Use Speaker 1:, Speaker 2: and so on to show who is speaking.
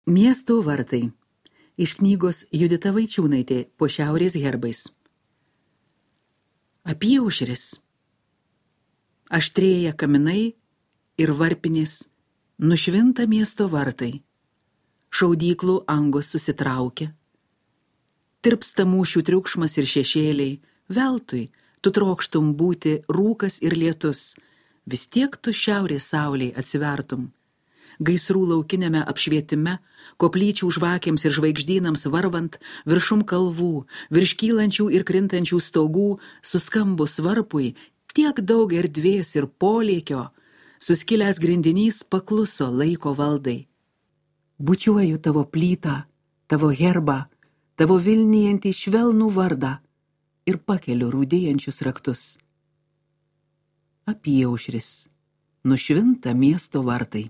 Speaker 1: Miesto vartai. Iš knygos Judita Vaičiūnaitė po šiaurės herbais. Apyaušris. Aštrėja kaminai ir varpinės, nušvinta miesto vartai. Šaudyklų angos susitraukia. Tirpsta mūšių triukšmas ir šešėliai, veltui tu trokštum būti rūkas ir lietus, vis tiek tu šiaurės saulei atsivertum. Gaisrų laukiniame apšvietime, koplyčių žvakėms ir žvaigždynams varvant, viršum kalvų, virš kylančių ir krintančių stogų, suskambus varpui, tiek daug erdvės ir polėkio, suskilęs grindinys pakluso laiko valdai. Bučiuoju tavo plytą, tavo herbą, tavo vilnijantį švelnų vardą ir pakeliu rūdėjančius raktus. Apyaušris, nušvinta miesto vartai.